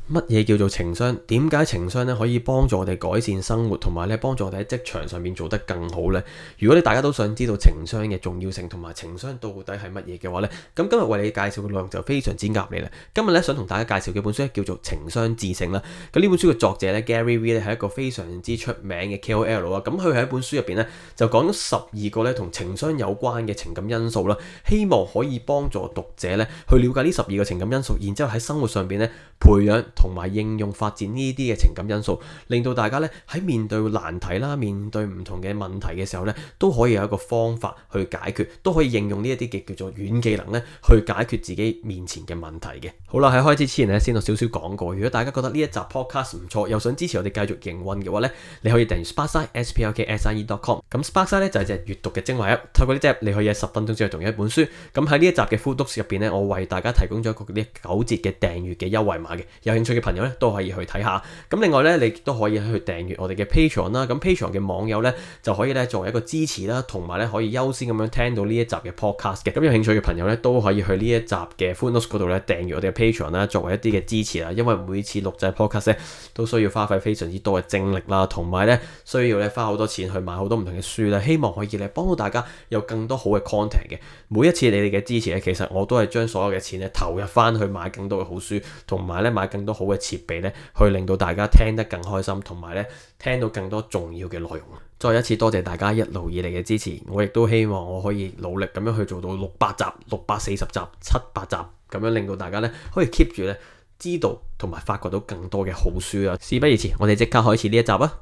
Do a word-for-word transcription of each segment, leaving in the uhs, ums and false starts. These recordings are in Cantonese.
乜嘢叫做情商？點解情商咧可以幫助我哋改善生活，同埋咧幫助我哋喺職場上面做得更好呢？如果你大家都想知道情商嘅重要性同埋情商到底係乜嘢嘅話呢，咁今日為你介紹嘅內容就非常之啱你啦。今日咧想同大家介紹嘅本書咧叫做《情商致勝》啦。咁呢本書嘅作者咧 Gary Vee 咧係一個非常之出名嘅 K O L 啊。咁佢喺本書入邊咧就講咗十二個咧同情商有關嘅情感因素啦，希望可以幫助讀者咧去了解呢十二個情感因素，然之後喺生活上邊咧培養同埋應用發展呢啲嘅情感因素，令到大家咧喺面對難題啦、面對唔同嘅問題嘅時候咧，都可以有一個方法去解決，都可以應用呢一啲嘅叫做軟技能咧去解決自己面前嘅問題嘅。好啦，喺開始之前咧，先有少少講過，如果大家覺得呢一集 podcast 唔錯，又想支持我哋繼續營運嘅話咧，你可以訂閱 Sparkside S P L K S I E dot com。咁 Sparkside 咧就係隻閱讀嘅精華 app， 透過呢隻 app 你可以喺十分鐘之內讀完一本書。咁喺呢一集嘅 Full Notes 入邊咧，我為大家提供咗一個呢九折嘅訂閱嘅優惠碼嘅，有興趣嘅朋友咧都可以去睇下。咁另外咧，你都可以去訂閱我哋嘅 Patreon 啦。咁 Patreon 嘅網友咧就可以咧作為一個支持啦，同埋咧可以優先咁樣聽到呢一集嘅 podcast 嘅。咁有興趣嘅朋友咧都可以去呢一集嘅 Full Notes 嗰度咧訂閱我哋嘅 Patreon 啦，作為一啲嘅支持啦。因為每次錄製 podcast 咧都需要花費非常之多嘅精力啦，同埋咧需要咧花好多錢去買好多唔同嘅書啦。希望可以咧幫到大家有更多好嘅 content 嘅。每一次你哋嘅支持咧，其實我都係將所有嘅錢咧投入翻去買更多嘅好書，同埋咧買更多好嘅設備咧，去令到大家聽得更開心，同埋咧聽到更多重要嘅內容。再一次多謝大家一路以嚟嘅支持，我亦都希望我可以努力咁樣去做到六百集、六百四十集、七百集，咁樣令到大家咧可以 keep 住咧知道同埋發掘到更多嘅好書啊！事不宜遲，我哋即刻開始呢一集啊！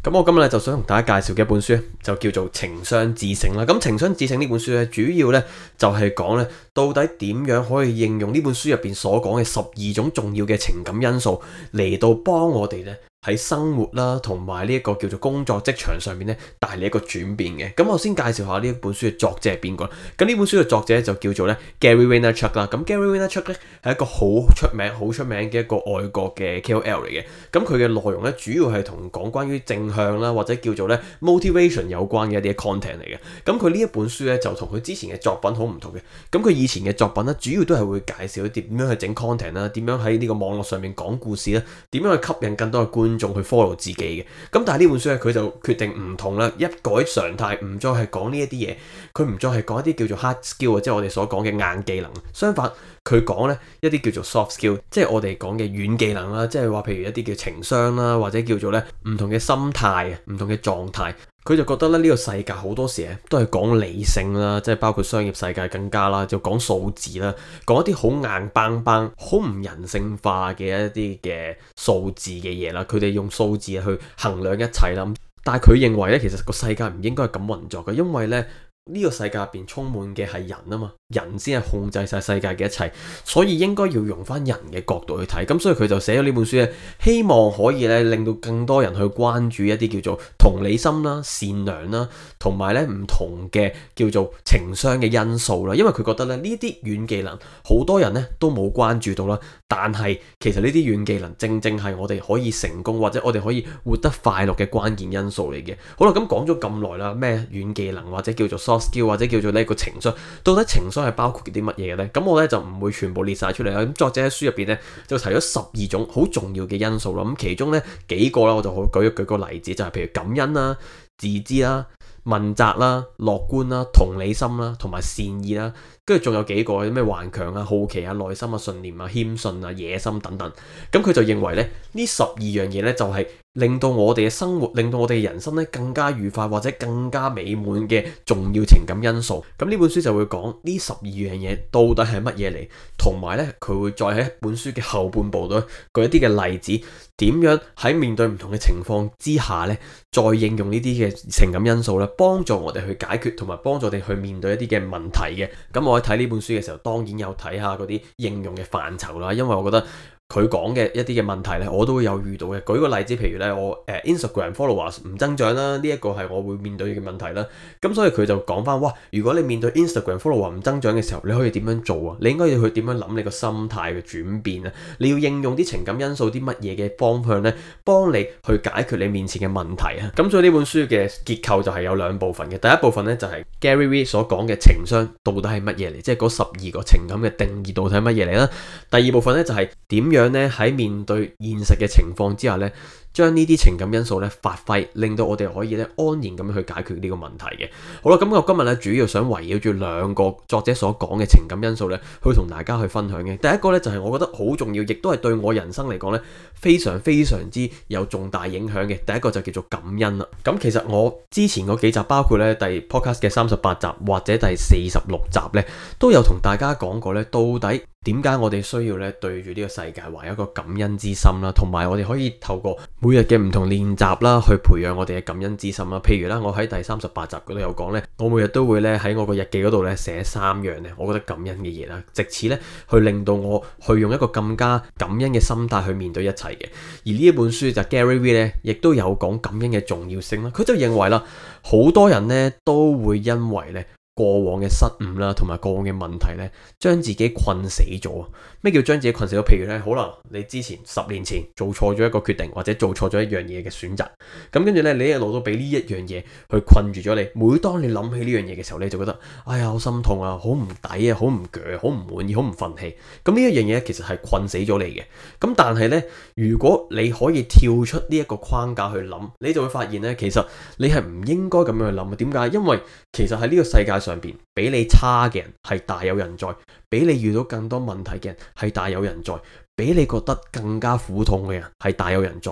咁我今日咧就想同大家介紹嘅一本書就叫做《情商致勝》啦。咁《情商致勝》呢本書咧，主要咧就係講咧到底點樣可以應用呢本書入邊所講嘅十二種重要嘅情感因素嚟到幫我哋咧喺生活啦，同埋呢一個叫做工作職場上面咧帶嚟一個轉變嘅。咁我先介紹下呢一本書嘅作者係邊個。咁呢本書嘅作者就叫做咧 Gary Vaynerchuk 啦。咁 Gary Vaynerchuk 咧係一個好出名、好出名嘅一個外國嘅 K O L 嚟嘅。咁佢嘅內容咧主要係同講關於正向啦，或者叫做咧 motivation 有關嘅一啲 content 嚟嘅。咁佢呢一本書咧就同佢之前嘅作品好唔同嘅。咁佢以前嘅作品咧主要都係會介紹一啲點樣去整 content 啦，點樣喺呢個網絡上面講故事啦，點樣去吸引更多嘅觀眾去 follow 自己嘅。咁但係呢本書咧佢就決定唔同啦，一改常態，唔再係講呢一啲嘢，佢唔再係講一啲叫做 hard skill 啊，即係我哋所講嘅硬技能。相反，佢講咧一啲叫做 soft skill， 即係我哋講嘅軟技能啦，即係話譬如一啲叫情商啦，或者叫做咧唔同嘅心態啊，唔同嘅狀態。佢就覺得咧呢個世界好多時咧都係講理性啦，即係包括商業世界更加啦，就講數字啦，講一啲好硬邦邦、好唔人性化嘅一啲嘅數字嘅嘢啦。佢哋用數字去衡量一切啦。但係佢認為咧，其實個世界唔應該係咁運作嘅，因為咧呢個世界入邊充滿嘅係人啊嘛，人先係控制晒世界嘅一切，所以應該要用翻人嘅角度去睇。咁所以佢就寫咗呢本書咧，希望可以咧令到更多人去關注一啲叫做同理心啦、善良啦，同埋咧唔同嘅叫做情商嘅因素啦。因為佢覺得咧呢啲軟技能好多人咧都冇關注到啦，但係其實呢啲軟技能正正係我哋可以成功或者我哋可以活得快樂嘅關鍵因素嚟嘅。好啦，咁講咗咁耐啦，咩軟技能或者叫做 soft skill 或者叫做呢個情商，到底情商係包括啲乜嘢嘅呢？咁我咧就唔會全部列晒出嚟啦。咁作者喺書入邊咧就提咗十二種好重要嘅因素啦。咁其中咧幾個啦，我就好舉一舉個例子，就係譬如感恩啦、自知啦、問責啦、樂觀啦、同理心啦，同埋善意啦。跟住仲有幾個咩頑強啊、好奇啊、耐心啊、信念啊、謙遜啊、野心等等。咁佢就認為咧呢十二樣嘢咧就係令到我哋嘅生活，令到我哋嘅人生咧更加愉快或者更加美滿嘅重要情感因素。咁呢本書就會講呢十二樣嘢到底係乜嘢嚟，同埋咧佢會再喺本書嘅後半部度舉一啲嘅例子，點樣喺面對唔同嘅情況之下咧，再應用呢啲嘅情感因素咧，幫助我哋去解決同埋幫助我哋去面對一啲嘅問題嘅。咁我喺睇呢本書嘅時候，當然有睇下嗰啲應用嘅範疇啦，因為我覺得佢講嘅一啲嘅問題咧，我都會有遇到嘅。舉個例子，譬如咧，我誒、呃、Instagram followers 唔增長啦，呢、這、一個係我會面對嘅問題啦。咁所以佢就講翻，哇！如果你面對 Instagram follower 唔增長嘅時候，你可以點樣做啊？你應該要去點樣諗你個心態嘅轉變啊？你要應用啲情感因素啲乜嘢嘅方向咧，幫你去解決你面前嘅問題啊！咁所以呢本書嘅結構就係有兩部分嘅。第一部分咧就係 Gary Vee 所講嘅情商到底係乜嘢嚟，即係嗰十二個情感嘅定義到底係乜嘢嚟啦。第二部分咧就係點樣咧喺面對現實嘅情況之下咧，將呢啲情感因素咧發揮，令到我哋可以咧安然咁樣去解決呢個問題嘅。好啦，咁我今日咧主要想圍繞住兩個作者所講嘅情感因素咧，去同大家去分享嘅。第一個咧就係我覺得好重要，亦都係對我人生嚟講咧非常非常之有重大影響嘅。第一個就叫做感恩啦。咁其實我之前嗰幾集，包括咧第 podcast 嘅三十八集或者第四十六集咧，都有同大家講過咧，到底點解我哋需要咧對住呢個世界懷一個感恩之心啦，同埋我哋可以透過每日嘅唔同練習啦，去培養我哋嘅感恩之心啦。譬如啦，我喺第三十八集嗰度有講咧，我每日都會咧喺我個日記嗰度咧寫三樣咧，我覺得感恩嘅嘢啦，藉此咧去令到我去用一個更加感恩嘅心態去面對一切嘅。而呢一本書就 Gary Vee 咧，亦都有講感恩嘅重要性啦。佢就認為啦，好多人咧都會因為咧過往嘅失誤啦，同埋過往嘅問題咧，將自己困死咗。咩叫將自己困死咗？譬如咧，可能你之前十年前做錯咗一個決定，或者做錯咗一樣嘢嘅選擇，咁跟住咧，你一路都俾呢一樣嘢去困住咗你。每當你諗起呢樣嘢嘅時候，你就覺得，哎呀，好心痛啊，好唔抵啊，好唔鋸，好唔滿意，好唔憤氣。咁呢一樣嘢其實係困死咗你嘅。咁但係咧，如果你可以跳出呢一個框架去諗，你就會發現咧，其實你係唔應該咁樣去諗啊。點解？因為其實喺呢個世界上邊，比你差嘅人係大有人在，比你遇到更多問題嘅人係大有人在，比你覺得更加苦痛嘅人係大有人在。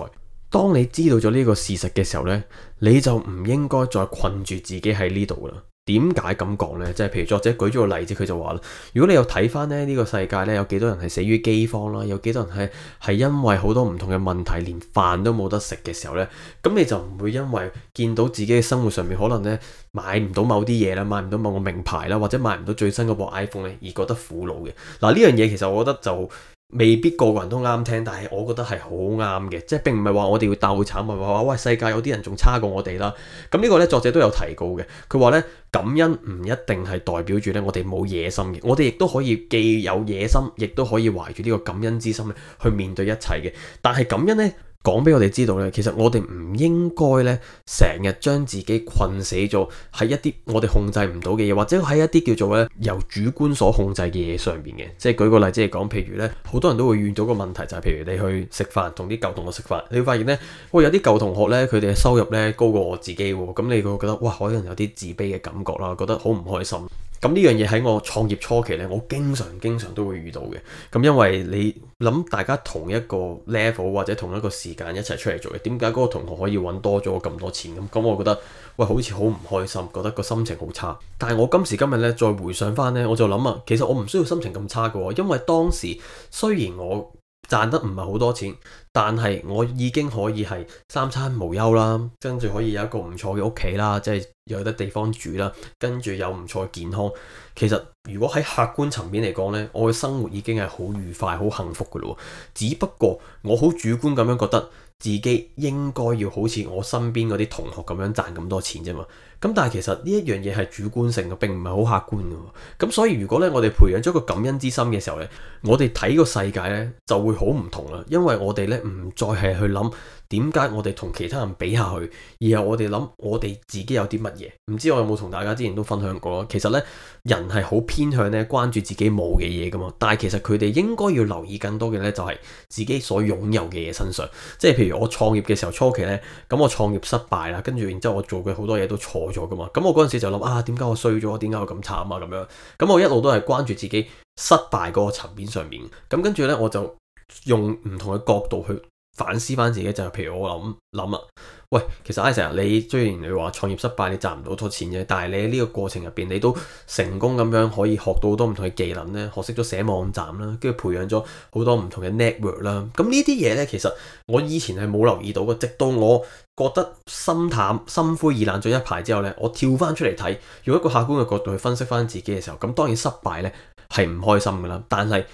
當你知道咗呢個事實嘅時候呢，你就唔應該再困住自己喺呢度啦。點解咁講呢？即係譬如作者舉咗個例子，佢就話啦，如果你有睇翻咧呢個世界呢，有幾多人係死於饑荒啦，有幾多人係係因為好多唔同嘅問題，連飯都冇得食嘅時候呢，咁你就唔會因為見到自己嘅生活上面可能呢買唔到某啲嘢啦，買唔到某個名牌啦，或者買唔到最新嗰部 iPhone 咧，而覺得苦惱嘅。嗱，呢樣嘢其實我覺得就未必個個人都啱聽，但係我覺得係好啱嘅，即係並唔係話我哋要鬥慘，唔係話喂世界有啲人仲差過我哋啦。咁呢個呢，作者都有提過嘅，佢話呢，感恩唔一定係代表住呢我哋冇野心嘅，我哋亦都可以既有野心，亦都可以懷住呢個感恩之心咧去面對一切嘅。但係感恩呢，講俾我哋知道咧，其實我哋唔應該咧成日將自己困死咗喺一啲我哋控制唔到嘅嘢，或者喺一啲叫做咧由主觀所控制嘅嘢上邊嘅。即係舉個例子嚟講，譬如咧好多人都會遇到個問題，就係譬如你去食飯，同啲舊同學食飯，你會發現咧，喂有啲舊同學咧佢哋嘅收入咧高過我自己喎，咁你會覺得哇可能有啲自卑嘅感覺啦，覺得好唔開心。咁呢樣嘢喺我創業初期呢，我經常經常都會遇到嘅。咁因為你諗大家同一個 level 或者同一個時間一齊出嚟做嘅，點解嗰個同學可以揾多咗咁多錢咁？咁我覺得喂好似好唔開心，覺得個心情好差。但係我今時今日呢，再回想翻呢，我就諗啊，其實我唔需要心情咁差嘅，因為當時雖然我賺得唔係好多錢，但係我已經可以係三餐無憂啦，跟住可以有一個唔錯嘅屋企啦，即係有得地方住啦，跟住有唔錯嘅健康。其實如果喺客觀層面嚟講呢，我嘅生活已經係好愉快、好幸福嘅咯。只不過我好主觀咁樣覺得自己應該要好似我身邊嗰啲同學咁樣賺咁多錢啫嘛。咁但係其實呢一樣嘢係主觀性嘅，並唔係好客觀嘅。咁所以如果咧我哋培養咗個感恩之心嘅時候咧，我哋睇個世界咧就會好唔同啦。因為我哋咧唔再係去諗點解我哋同其他人比下去，而係我哋諗我哋自己有啲乜嘢。唔知我有冇同大家之前都分享過咯？其實咧人係好偏向咧關注自己冇嘅嘢噶嘛，但係其實佢哋應該要留意更多嘅咧就係自己所擁有嘅嘢身上。即係譬如我創業嘅時候初期咧，咁我創業失敗啦，跟住然之後我做嘅好多嘢都錯咗噶嘛，咁我嗰陣時就諗啊，點解我衰咗？點解我咁慘啊？咁樣，咁我一路都係關注自己失敗嗰個層面上面，咁跟住呢，我就用唔同嘅角度去反思翻自己，就係譬如我諗諗啊，喂，其實 Isaac 你雖然你話創業失敗，你賺唔到好多錢啫，但係你喺呢個過程入邊，你都成功咁樣可以學到好多唔同嘅技能咧，學識咗寫網站啦，跟住培養咗好多唔同嘅 network 啦。咁呢啲嘢呢，其實我以前係冇留意到嘅，直到我覺得心淡、心灰意冷咗一排之後呢，我跳翻出嚟睇，用一個客觀嘅角度去分析翻自己嘅時候，咁當然失敗呢係唔開心噶啦，但係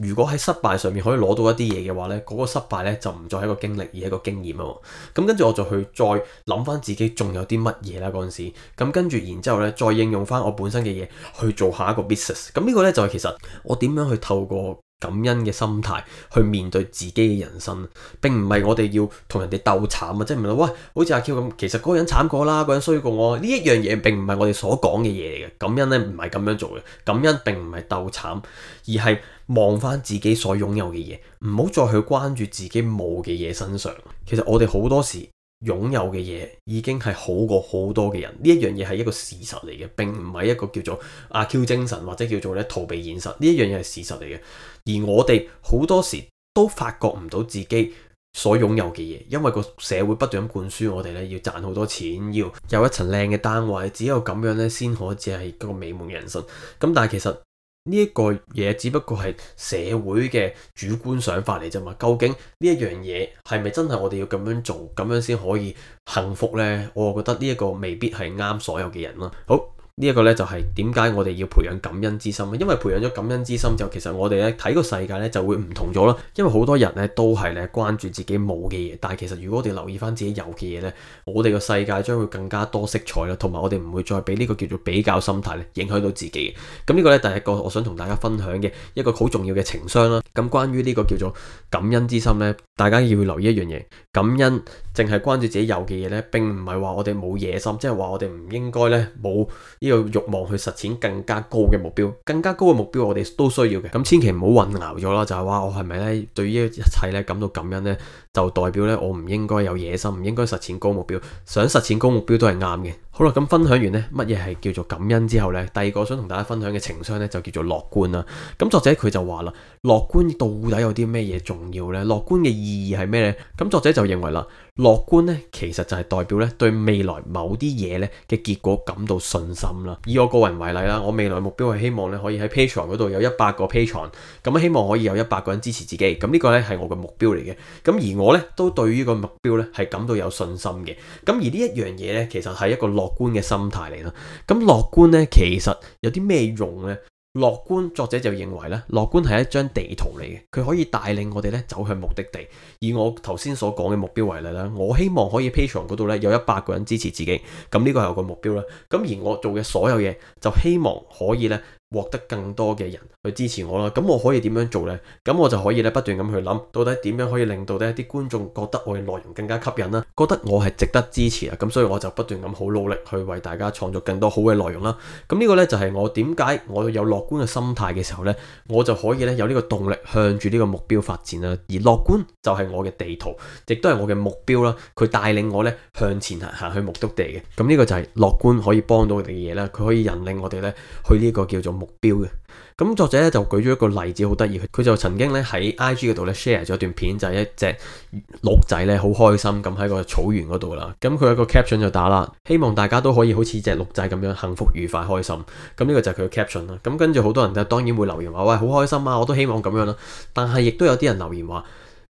如果喺失敗上面可以攞到一啲嘢嘅話呢，嗰個失敗呢就唔再係一個經歷，而係一個經驗啊。咁跟住我就去再諗翻自己仲有啲乜嘢啦嗰陣時，咁跟住然之後呢，再應用翻我本身嘅嘢去做下一個 business。咁呢個呢，就係其實我點樣去透過感恩嘅心態去面對自己嘅人生，並唔係我哋要同人哋鬥慘啊！即係唔係喂，好似阿 Q 咁，其實嗰個人慘過啦，嗰個人衰過我，呢一樣嘢並唔係我哋所講嘅嘢嚟嘅。感恩呢唔係咁樣做嘅，感恩並唔係鬥慘，而係望翻自己所擁有嘅嘢，唔好再去關注自己冇嘅嘢身上。其實我哋好多時擁有嘅嘢已經係好過好多嘅人，呢一樣嘢係一個事實嚟嘅，並唔係一個叫做阿 Q 精神或者叫做咧逃避現實。呢一樣嘢係事實嚟嘅，而我哋好多時都發覺唔到自己所擁有嘅嘢，因為個社會不斷咁灌輸我哋咧要賺好多錢，要有一層靚嘅單位，只有咁樣咧先可只係一個美滿人生。咁但係其實呢一個嘢只不過係社會嘅主觀想法嚟啫嘛，究竟呢一樣嘢係咪真係我哋要咁樣做，咁樣先可以幸福呢？我覺得呢一個未必係啱所有嘅人啦。好。呢一個咧就係點解我哋要培養感恩之心，因為培養咗感恩之心就其實我哋咧睇個世界咧就會唔同咗啦。因為好多人咧都係咧關注自己冇嘅嘢，但係其實如果我哋留意翻自己有嘅嘢咧，我哋個世界將會更加多色彩啦，同埋我哋唔會再俾呢個叫做比較心態咧影響到自己。咁呢個咧第一個我想同大家分享嘅一個好重要嘅情商啦。咁關於呢個叫做感恩之心咧，大家要留意一樣嘢，感恩淨係關注自己有嘅嘢咧，並唔係話我哋冇野心，即係話我哋唔應該咧冇呢個慾望去實踐更加高嘅目標，更加高嘅目標我哋都需要嘅。咁千祈唔好混淆咗啦，就係話我係咪咧對於一切咧感到感恩咧，就代表咧我唔應該有野心，唔應該實踐高目標，想實踐高目標都係啱嘅。好啦，咁分享完呢乜嘢係叫做感恩之後呢，第二個想同大家分享嘅情商呢，就叫做樂觀啦。咁作者佢就話啦，樂觀到底有啲咩嘢重要呢？樂觀嘅意義係咩呢？咁作者就認為啦，樂觀呢其實就係代表咧對未來某啲嘢咧嘅結果感到信心啦。以我個人為例啦，我未來目標係希望咧可以喺 Patreon 嗰度有一百個 Patreon，咁希望可以有一百個人支持自己。咁呢個咧係我嘅目標嚟嘅。咁而我咧都對於個目標咧係感到有信心嘅。咁而呢一樣嘢咧，其實係一個樂觀嘅心態嚟啦。咁樂觀咧其實有啲咩用呢？樂觀作者就認為咧，樂觀係一張地圖嚟嘅，佢可以帶領我哋咧走向目的地。以我頭先所講嘅目標為例啦，我希望可以 Patreon 嗰度咧有一百個人支持自己，咁呢個係我個目標啦。咁而我做嘅所有嘢，就希望可以咧獲得更多嘅人去支持我啦。咁我可以點樣做呢？咁我就可以咧不斷咁去諗，到底點樣可以令到呢一啲觀眾覺得我嘅內容更加吸引啦，覺得我係值得支持啊。咁所以我就不斷咁好努力去為大家創造更多好嘅內容啦。咁呢個呢，就係我點解我有樂觀嘅心態嘅時候呢，我就可以咧有呢個動力向住呢個目標發展啦。而樂觀就係我嘅地圖，亦都係我嘅目標啦。佢帶領我咧向前行，行去目的地嘅。咁呢個就係樂觀可以幫到我哋嘅嘢啦。佢可以引領我哋咧去呢個叫做目標嘅。咁作者咧就舉咗一個例子，好得意。佢就曾經咧喺 I G 嗰度咧 share 咗一段片，就係一隻鹿仔咧好開心咁喺個草原嗰度啦。咁佢有個 caption 就打啦，希望大家都可以好似隻鹿仔咁樣幸福愉快開心。咁呢個就係佢嘅 caption 啦。咁跟住好多人就當然會留言話，喂，好開心啊，我都希望咁樣啦。但係亦都有啲人留言話，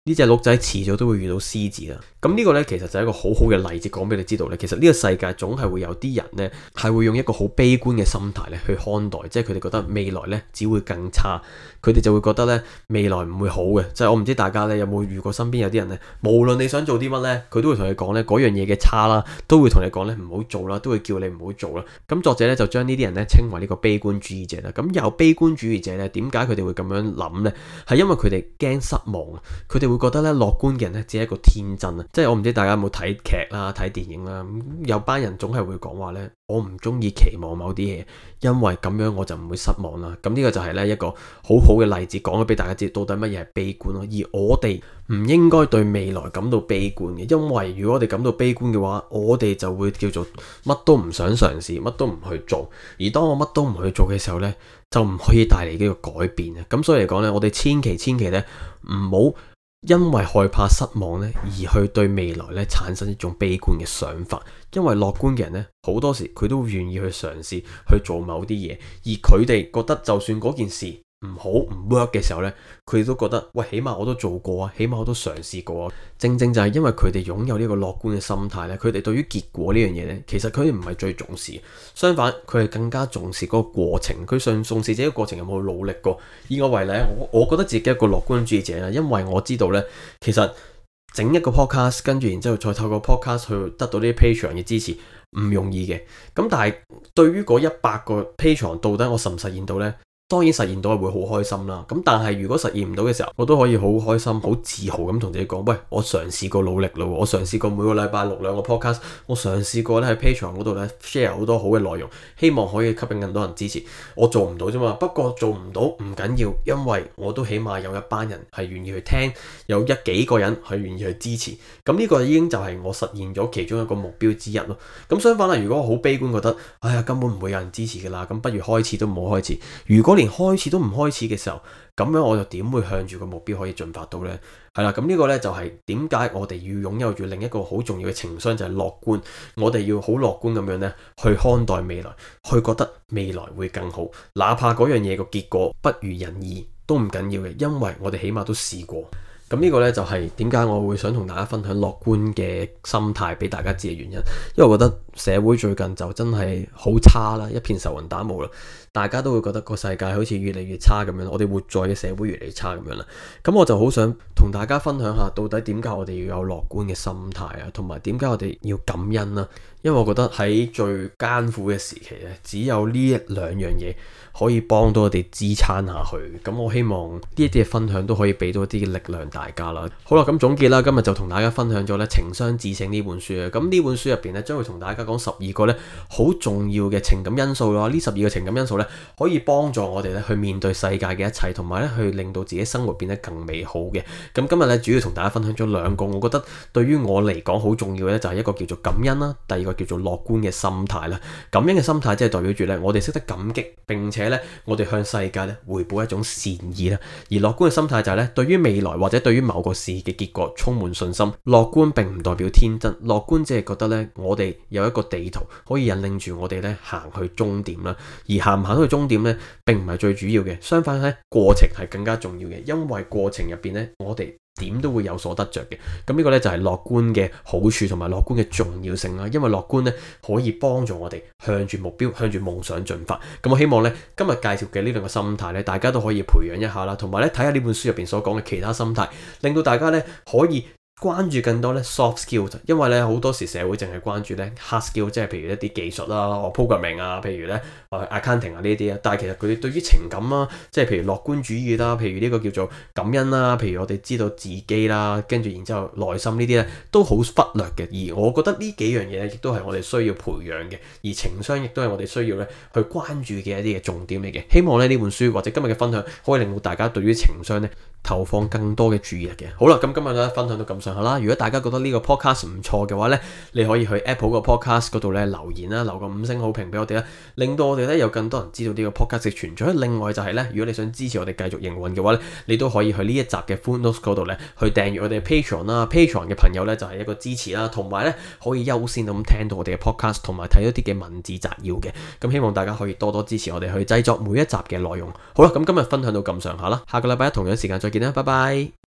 呢隻鹿仔遲早都會遇到獅子啦。咁呢個呢，其實就係一個好好嘅例子，講俾你知道呢，其實呢個世界總係會有啲人呢，係會用一個好悲觀嘅心態咧去看待，即係佢哋覺得未來呢只會更差，佢哋就會覺得呢未來唔會好嘅。即係我唔知大家呢有冇遇過身邊有啲人呢，無論你想做啲乜呢，佢都會同你講呢嗰樣嘢嘅差啦，都會同你講呢唔好做啦，都會叫你唔好做啦。咁作者呢，就將呢啲人呢稱為呢個悲觀主義者啦。咁有悲觀主義者呢，點解佢哋會咁樣諗呢？係因為佢哋驚失望，佢哋會覺得呢樂觀嘅人呢只係一個天真啊。即係我唔知大家有冇睇劇啦、睇電影啦，有班人總係會講話呢：「我唔中意期望某啲嘢，因為咁樣我就唔會失望啦。」咁呢個就係呢一個好好嘅例子，講咗俾大家知到底乜嘢係悲觀咯。而我哋唔應該對未來感到悲觀嘅，因為如果我哋感到悲觀嘅話，我哋就會叫做乜都唔想嘗試，乜都唔去做。而當我乜都唔去做嘅時候呢，就唔可以帶嚟呢個改變啊。咁所以嚟講呢，我哋千祈千祈呢唔好因為害怕失望咧，而去對未來咧產生一種悲觀嘅想法。因為樂觀嘅人咧，好多時佢都願意去嘗試去做某啲嘢，而佢哋覺得就算嗰件事唔好唔 work 嘅時候呢，佢哋都覺得喂，起碼我都做過啊，起碼我都嘗試過啊。正正就係因為佢哋擁有呢個樂觀嘅心態呢，佢哋對於結果呢樣嘢呢，其實佢哋唔係最重視，相反佢係更加重視嗰個過程，佢想重視自己嘅過程有冇努力過。以我為例，我我覺得自己係一個樂觀主義者啦，因為我知道呢，其實整一個 podcast 跟住然之後再透過 podcast 去得到呢啲 Patreon 嘅支持唔容易嘅。咁但係對於嗰一百個 Patreon 到底我實唔實現到呢？當然實現到係會好開心啦，咁但係如果實現唔到嘅時候，我都可以好開心、好自豪咁同自己講，喂，我嘗試過努力咯，我嘗試過每個禮拜錄兩個 podcast，我嘗試過咧喺 Patreon 嗰度咧 share 好多好嘅內容，希望可以吸引更多人支持。我做唔到啫嘛，不過做唔到唔緊要，因為我都起碼有一班人係願意去聽，有一幾個人係願意去支持，咁呢個已經就係我實現咗其中一個目標之一咯。咁相反啦，如果我好悲觀覺得，哎呀根本唔會有人支持㗎啦，咁不如開始都唔好開始。如果連開始都唔開始嘅時候，咁樣我就點會向住個目標可以進發到呢？係啦，咁呢個呢，就係點解我哋要擁有住另一個好重要嘅情商，就係樂觀。我哋要好樂觀咁樣呢去看待未來，去覺得未來會更好，哪怕嗰樣嘢個結果不如人意都唔緊要嘅，因為我哋起碼都試過。咁呢個呢，就係點解我會想同大家分享樂觀嘅心態俾大家知嘅原因，因為我覺得社會最近就真係好差啦，一片愁雲打霧啦，大家都會覺得個世界好似越嚟越差咁樣，我哋活在嘅社會越嚟越差咁樣啦。咁我就好想同大家分享下，到底點解我哋要有樂觀嘅心態啊，同埋點解我哋要感恩啦。因為我覺得喺最艱苦嘅時期咧，只有呢一兩樣嘢可以幫到我哋支撐下去。咁我希望呢一啲嘅分享都可以俾到一啲嘅力量大家啦。好啦，咁總結啦，今日就同大家分享咗咧《情商自省》呢本書啊。咁呢本書入邊咧，將會同大家講十二個咧好重要嘅情感因素咯。呢十二個情感因素咧，可以幫助我哋咧去面對世界嘅一切，同埋咧去令到自己生活變得更美好嘅。咁今日咧主要同大家分享咗兩個，我覺得對於我嚟講好重要嘅咧，就係一個叫做感恩啦，第二個叫做樂觀嘅心態啦。感恩嘅心態即係代表住咧，我哋識得感激，並且咧我哋向世界咧回報一種善意啦。而樂觀嘅心態就係咧，對於未來或者對於某個事嘅結果充滿信心。樂觀並唔代表天真，樂觀只係覺得咧，我哋有一個地圖可以引領住我哋咧行去終點啦。而行唔行去終點咧，並唔係最主要嘅，相反咧過程係更加重要嘅，因為過程入邊咧我哋點都會有所得着嘅。咁呢個呢，就係樂觀嘅好處同埋樂觀嘅重要性啦。因為樂觀呢，可以幫助我哋向住目標、向住夢想進發。咁我希望呢，今日介紹嘅呢兩個心態呢，大家都可以培養一下啦，同埋咧睇下呢本書入邊所講嘅其他心態，令到大家呢可以關注更多咧 soft skill， 因為咧好多時社會淨係關注咧 hard skill， 即係譬如一啲技術啦、programming 啊，譬如咧 accounting 啊呢啲啊，但係其實佢哋對於情感啊，即係譬如樂觀主義啦，譬如呢個叫做感恩啦，譬如我哋知道自己啦，跟住然之後內心呢啲咧都好忽略嘅。而我覺得呢幾樣嘢咧，亦都係我哋需要培養嘅，而情商亦都係我哋需要咧去關注嘅一啲嘅重點嚟嘅。希望咧呢本書或者今日嘅分享可以令到大家對於情商咧投放更多嘅注意力嘅。好啦，咁今日咧分享到咁上下啦。如果大家覺得呢個 podcast 唔錯嘅話咧，你可以去 Apple 個 podcast 嗰度咧留言啦，留個五星好評俾我哋啦，令到我哋咧有更多人知道呢個 podcast 嘅存在。另外就係咧，如果你想支持我哋繼續營運嘅話咧，你都可以去呢一集嘅 Footnotes 嗰度咧去訂閱我哋嘅 Patreon 啦。Patreon 嘅朋友咧就係一個支持啦，同埋咧可以優先咁聽到我哋嘅 podcast，同埋睇一啲嘅文字摘要嘅。咁希望大家可以多多支持我哋去製作每一集嘅內容。好啦，咁今日分享到咁上下啦，下個禮拜一同樣時間再見啦，拜拜。